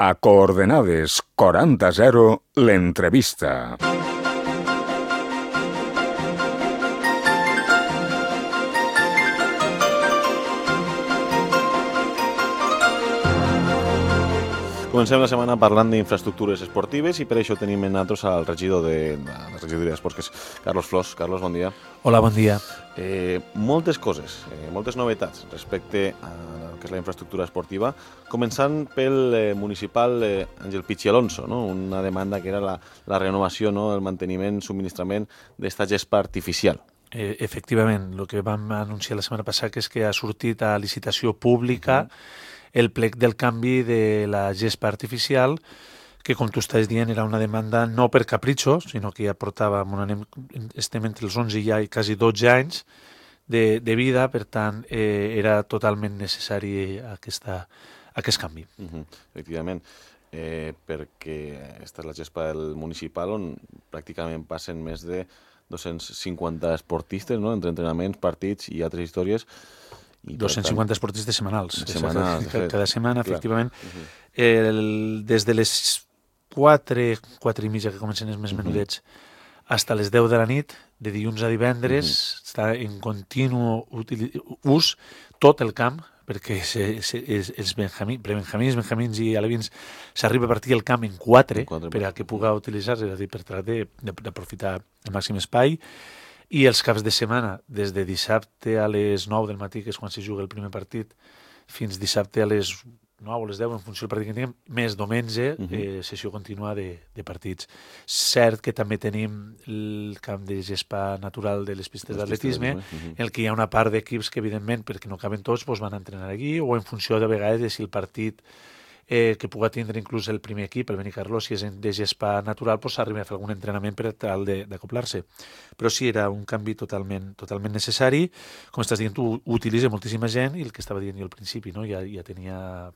A Coordenades 40-0, l'entrevista. Comencem la setmana parlant d'infraestructures esportives i per això tenim en nosaltres al regidor de la regidoria d'Esports, que és Carlos Flors. Carlos, bon dia. Hola, bon dia. Moltes coses, moltes novetats respecte a que és la infraestructura esportiva, començant pel municipal Àngel Pichi Alonso, no? Una demanda que era la renovació, no? El manteniment, subministrament d'esta gespa artificial. Efectivament, el que vam anunciar la setmana passada és que ha sortit a licitació pública el plec del canvi de la gespa artificial, que, com tu estàs dient, era una demanda no per capritxo, sinó que ja portava, estem entre els 11 i quasi 12 anys de vida, per tant, era totalment necessari aquest canvi. Efectivament, perquè aquesta és la gespa del municipal on pràcticament passen més de 250 esportistes, no? Entre entrenaments, partits i altres històries. 250 esportistes setmanals. Cada setmana, efectivament. Des de les 4 i mitja, que comencen els més menudets, fins a les 10 de la nit, de dilluns a divendres, està en continu ús tot el camp, perquè els benjamins i alevins s'arriba a partir el camp en 4 per a que puga utilitzar-se, és a dir, per tractar d'aprofitar el màxim espai. I els caps de setmana, des de dissabte a les 9 del matí, que és quan se juga el primer partit, fins dissabte a les 9 o les 10, en funció del partit que tinguem, més diumenge, sessió contínua de partits. Cert que també tenim el camp de gespa natural de les pistes d'atletisme, en el que hi ha una part d'equips que, evidentment, perquè no caben tots, van a entrenar aquí, o en funció de vegades de si el partit que puga tindre inclús el primer equip, el Benicarló, si és de gespa natural, s'arriba a fer algun entrenament per tal d'acoplar-se. Però sí, era un canvi totalment necessari. Com estàs dient, tu ho utilitza moltíssima gent, i el que estava dient jo al principi, no? ja tenia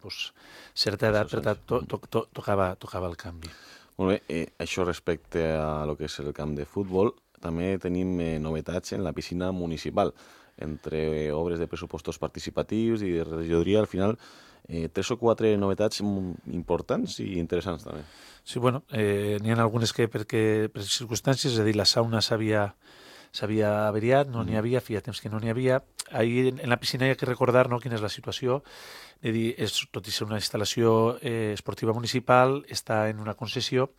certa edat, per tant, tocava el canvi. Molt bé, això respecte a lo que és el camp de futbol, també tenim novetats en la piscina municipal. Entre obres de pressupostos participatius i de regidoria, al final, 3 o 4 novetats importants i interessants també. Sí, bueno, n'hi ha algunes que per circumstàncies, és a dir, la sauna s'havia averiat, no n'hi havia, feia temps que no n'hi havia. Ahir en la piscina hi ha que recordar, no, quina és la situació. És dir, tot i ser una instal·lació esportiva municipal, està en una concessió,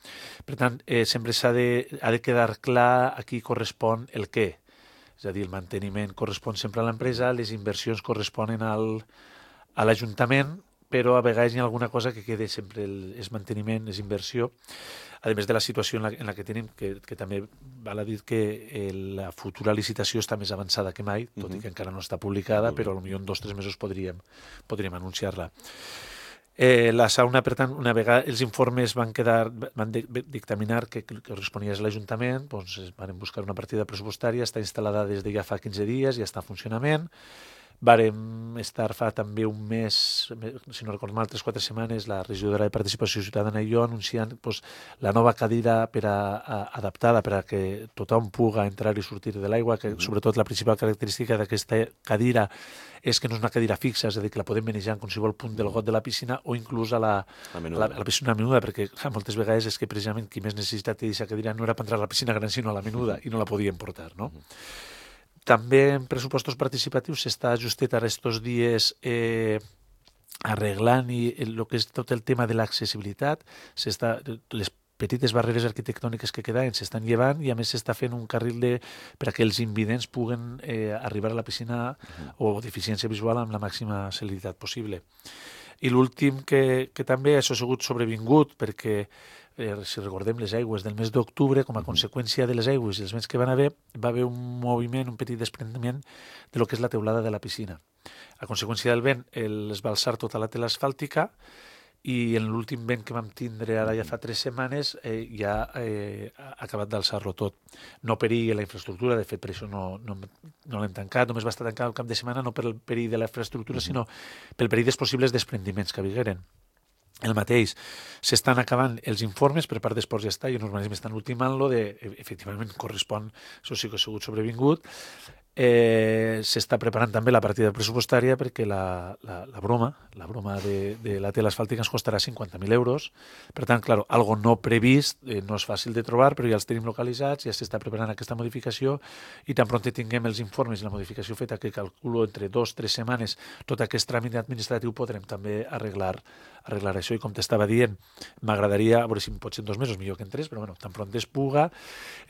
per tant, sempre ha de quedar clar a qui correspon el què. És a dir, el manteniment correspon sempre a l'empresa, les inversions corresponen a l'Ajuntament, però a vegades hi ha alguna cosa que queda sempre, és manteniment, és inversió. A més de la situació en la que tenim, que també val a dir que la futura licitació està més avançada que mai, tot i que encara no està publicada, però potser en 2 o 3 mesos podríem anunciar-la. La sauna, per tant, una vegada els informes van dictaminar que corresponia a l'Ajuntament, van buscar una partida pressupostària, està instal·lada des de ja fa 15 dies, ja està en funcionament. Vàrem estar fa també un mes, si no recordo mal, 3 o 4 setmanes, la regidora de Participació Ciutadana i jo anunciant la nova cadira adaptada per a que tothom puga entrar i sortir de l'aigua, que sobretot la principal característica d'aquesta cadira és que no és una cadira fixa, és a dir, que la podem manejar en qualsevol punt del got de la piscina o inclús a la piscina menuda, perquè moltes vegades és que precisament qui més necessitat té d'aquesta cadira no era per entrar a la piscina gran, sinó a la menuda, i no la podien portar, no? També en pressupostos participatius s'està justet ara estos dies arreglant el que és tot el tema de l'accessibilitat. Les petites barreres arquitectòniques que quedaven s'estan llevant i a més s'està fent un carril per a que els invidents puguen arribar a la piscina o deficiència visual amb la màxima celeritat possible. I l'últim que també ha sigut sobrevingut perquè si recordem les aigües del mes d'octubre, com a conseqüència de les aigües i els vents que van haver, va haver un moviment, un petit desprendiment de lo que és la teulada de la piscina. A conseqüència del vent, es va alçar tota la tela asfàltica i en l'últim vent que vam tindre ara ja fa 3 setmanes ja ha acabat d'alçar-lo tot. No perigui la infraestructura, de fet per això no l'hem tancat, només va estar tancat el cap de setmana no per el perill de la infraestructura, sinó pel perill dels possibles desprendiments que vingueren. El mateix, s'estan acabant els informes per part d'Esports i Estat i l'urbanisme estan ultimant-lo efectivament correspon, això sí que ha sigut sobrevingut, S'està preparant també la partida pressupostària perquè la broma de la tela asfàltica ens costarà 50.000 euros. Per tant, clar, algo no previst, no és fàcil de trobar, però ja els tenim localitzats, ja s'està preparant aquesta modificació i tan pront tinguem els informes i la modificació feta, que calculo entre 2 o 3 setmanes, tot aquest tràmit administratiu podrem també arreglar això. I com t'estava dient, m'agradaria, a veure si pot ser en 2 mesos, millor que en 3, però bueno, tan pront es puga.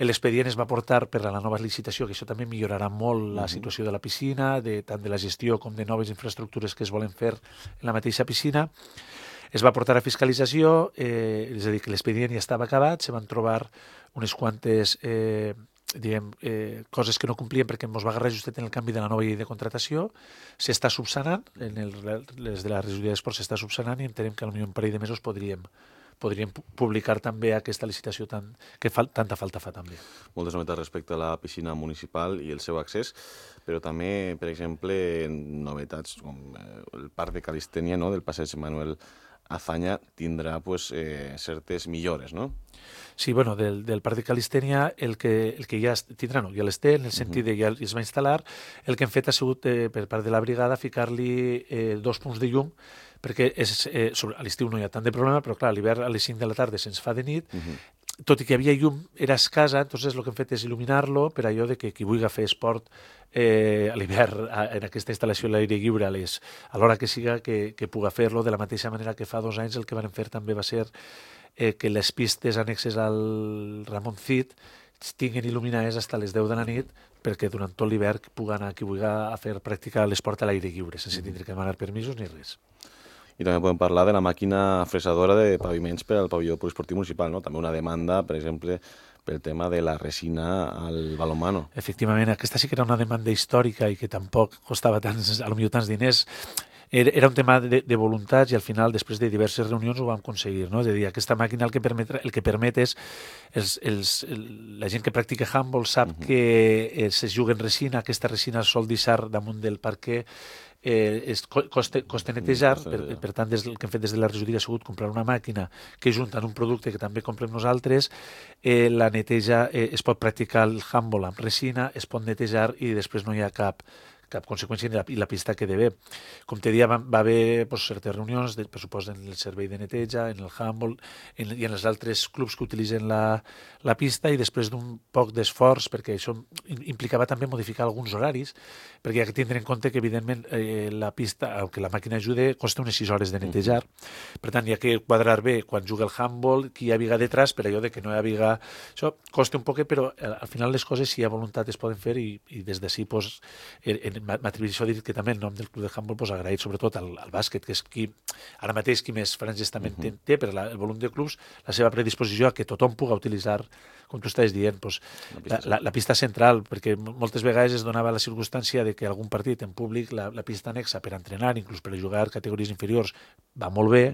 L'expedient es va portar per a la nova licitació, que això també millorarà molt la situació de la piscina, tant de la gestió com de noves infraestructures que es volen fer en la mateixa piscina. Es va portar a fiscalització, és a dir, que l'expedient ja estava acabat, se van trobar unes quantes coses que no complien perquè ens va agarrar justet en el canvi de la nova llei de contratació. S'està subsanant, les de la regidoria d'Esports s'està subsanant i entenem que potser un parell de mesos podríem publicar també aquesta licitació que tanta falta fa també. Moltes novetats respecte a la piscina municipal i el seu accés, però també, per exemple, novetats com el parc de calistènia, no?, del passeig Manuel Azaña tindrà certes millores, no? Sí, bueno, del parc de calistènia el que ja tindrà, no, ja l'esté, en el sentit de ja es va instal·lar. El que hem fet ha sigut, per part de la brigada, ficar-li 2 punts de llum, perquè a l'estiu no hi ha tant de problema, però clar, a l'hivern a les 5 de la tarda se'ns fa de nit, tot i que hi havia llum, era escassa, entonces el que hem fet és il·luminar-lo per allò de que qui vulgui fer esport a l'hivern en aquesta instal·lació a l'aire lliure a l'hora que siga que puga fer-lo. De la mateixa manera que fa 2 anys el que vam fer també va ser que les pistes annexes al Ramon Cid tinguin il·luminades fins a les 10 de la nit perquè durant tot l'hivern pugui anar qui vulgui a fer practicar l'esport a l'aire lliure sense tindre que demanar permisos ni res. I també podem parlar de la màquina fresadora de paviments per al pavelló poliesportiu municipal, no? També una demanda, per exemple, pel tema de la resina al balonmano. Efectivament, aquesta sí que era una demanda històrica i que tampoc costava tants diners. Era un tema de voluntats i al final, després de diverses reunions, ho vam aconseguir, no? És a dir, aquesta màquina el que permet és la gent que practica handball sap que se juga en resina, aquesta resina sol deixar damunt del parquet, costa netejar, per tant el que hem fet des de la regidoria ha sigut comprar una màquina que junta en un producte que també comprem nosaltres, la neteja, es pot practicar el handball amb resina, es pot netejar i després no hi ha cap conseqüència i la pista queda bé. Com te deia, va haver certes reunions de pressupost en el servei de neteja, en el handball i en els altres clubs que utilitzen la pista, i després d'un poc d'esforç, perquè això implicava també modificar alguns horaris, perquè hi ha que tindre en compte que evidentment la pista, aunque la màquina ajude, costa unes 6 hores de netejar. Per tant, hi ha que quadrar bé quan juga el handball, qui hi havia detrás, per allò de que no hi havia... Això costa un poquet, però al final les coses, si hi ha voluntat, es poden fer i des d'ací m'atribueixo a dir que també el nom del club de handball agraït sobretot al bàsquet, que és qui ara mateix qui més franges també té per el volum de clubs, la seva predisposició a que tothom pugui utilitzar, com tu estàs dient, la pista central, perquè moltes vegades es donava la circumstància de que algun partit en públic la pista anexa per entrenar, inclús per a jugar categories inferiors, va molt bé,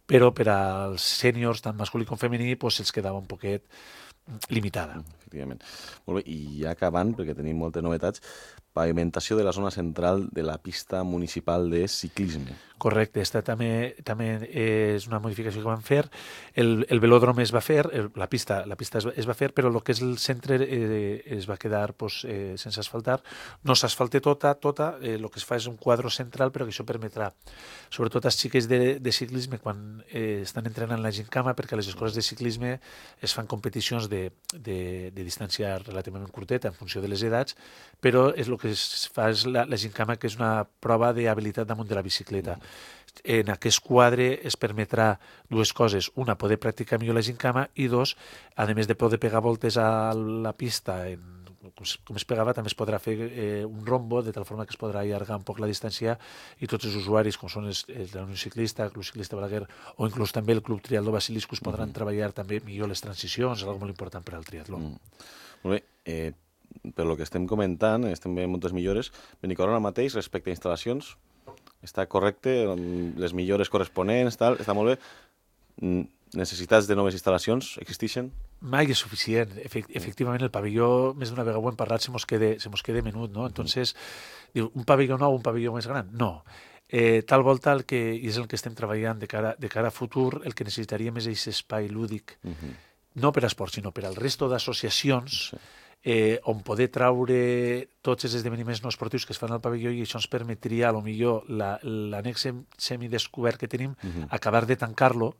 però per als sèniors, tant masculí com femení, se'ls quedava un poquet limitada. Efectivament. Molt bé, i ja acabant, perquè tenim moltes novetats, pavimentació de la zona central de la pista municipal de ciclisme. Correcte, aquesta també és una modificació que vam fer. El velòdrom es va fer, la pista es va fer, però el que és el centre es va quedar sense asfaltar. No s'asfalta tota, el que es fa és un quadre central, però que això permetrà, sobretot als xiquets de ciclisme, quan estan entrenant la gincama, perquè a les escoles de ciclisme es fan competicions de distància relativament curteta en funció de les edats, però el que es fa és la gincama, que és una prova d'habilitat damunt de la bicicleta. En aquest quadre es permetrà 2 coses: una, poder practicar millor la gincama, i 2, a més de poder pegar voltes a la pista com es pegava, també es podrà fer un rombo, de tal forma que es podrà allargar un poc la distància, i tots els usuaris, com són la Unió Ciclista, el Club Ciclista Balaguer o inclús també el Club Triatló Basiliscus, podran treballar també millor les transicions, és una cosa molt important per al triatló. Molt bé, per lo que estem comentant, estem veient moltes millores. Benicarló ara mateix, respecte a instal·lacions, està correcte, les millores corresponents, està molt bé. Necessitats de noves instal·lacions existeixen? Mai és suficient. Efectivament, el pavelló, més d'una vegada ho hem parlat, se mos queda menut, no? Entonces, diu, un pavelló nou, un pavelló més gran? No. Tal volta, i és el que estem treballant de cara a futur, el que necessitaríem és aquest espai lúdic, no per a esport, sinó per al resto d'associacions, on poder traure tots els esdeveniments no esportius que es fan al pavelló, i això ens permetria, a lo millor, l'annex semidescobert que tenim, acabar de tancar-lo,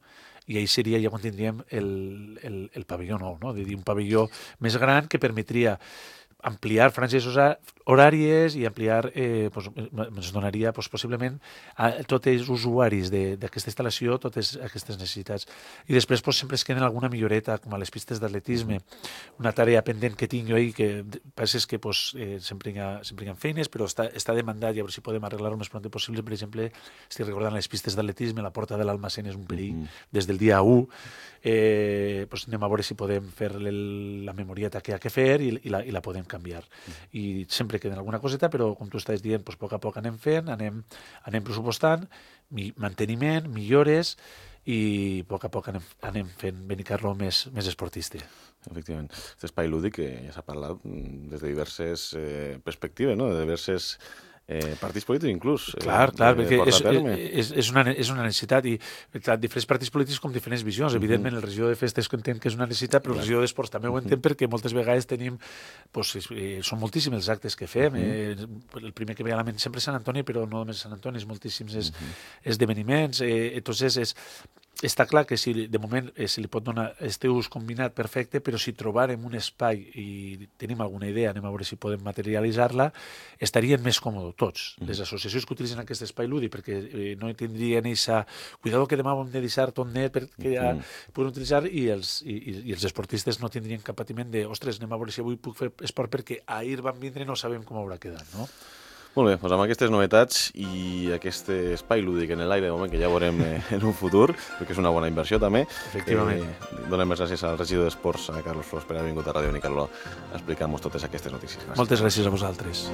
i ahí seria ja quan tindríem el pavelló nou, no? És a dir, un pavelló més gran que permetria ampliar franges horàries i ampliar, ens donaria possiblement a tots els usuaris d'aquesta instal·lació totes aquestes necessitats. I després sempre es queden alguna milloreta, com a les pistes d'atletisme, una tarea pendent que tinc jo ahir, que penses que sempre hi ha feines, però està demandat, i a veure si podem arreglar-ho més pront possible. Per exemple, estic recordant les pistes d'atletisme, la porta de l'Almacén és un perill des del dia 1. Anem a veure si podem fer la memorieta que hi ha que fer i la podem canviar. I sempre queda alguna coseta, però com tu estàs dient, a poc a poc anem fent, anem pressupostant, manteniment, millores, i a poc a poc anem fent Benicarló més esportista. Efectivament. Aquest espai lúdic que ja s'ha parlat des de diverses perspectives, no? De diverses partits polítics inclús. Clar, perquè és una necessitat, i diferents partits polítics com diferents visions. Evidentment, el regidor de festes entén que és una necessitat, però el regidor d'esports també ho entén, perquè moltes vegades tenim, són moltíssims els actes que fem. El primer que ve a la ment sempre és Sant Antoni, però no només Sant Antoni, és moltíssims esdeveniments. Entonces, està clar que de moment se li pot donar este ús combinat perfecte, però si trobarem un espai i tenim alguna idea, anem a veure si podem materialitzar-la, estarien més còmodes tots. Les associacions que utilitzen aquest espai lúdic, perquè no tindrien aquesta... Cuidado que demà ho hem de deixar tot net perquè ja podem utilitzar, i els esportistes no tindrien cap patiment de ostres, anem a veure si avui puc fer esport perquè ahir van vindre i no sabem com haurà quedat, no? Molt bé, doncs amb aquestes novetats i aquest espai lúdic en l'aire, de moment, que ja veurem en un futur, perquè és una bona inversió també. Efectivament. Donem les gràcies al regidor d'Esports, a Carlos Flors, per haver vingut a Ràdio Benicarló a explicar-nos totes aquestes notícies. Gràcies. Moltes gràcies a vosaltres.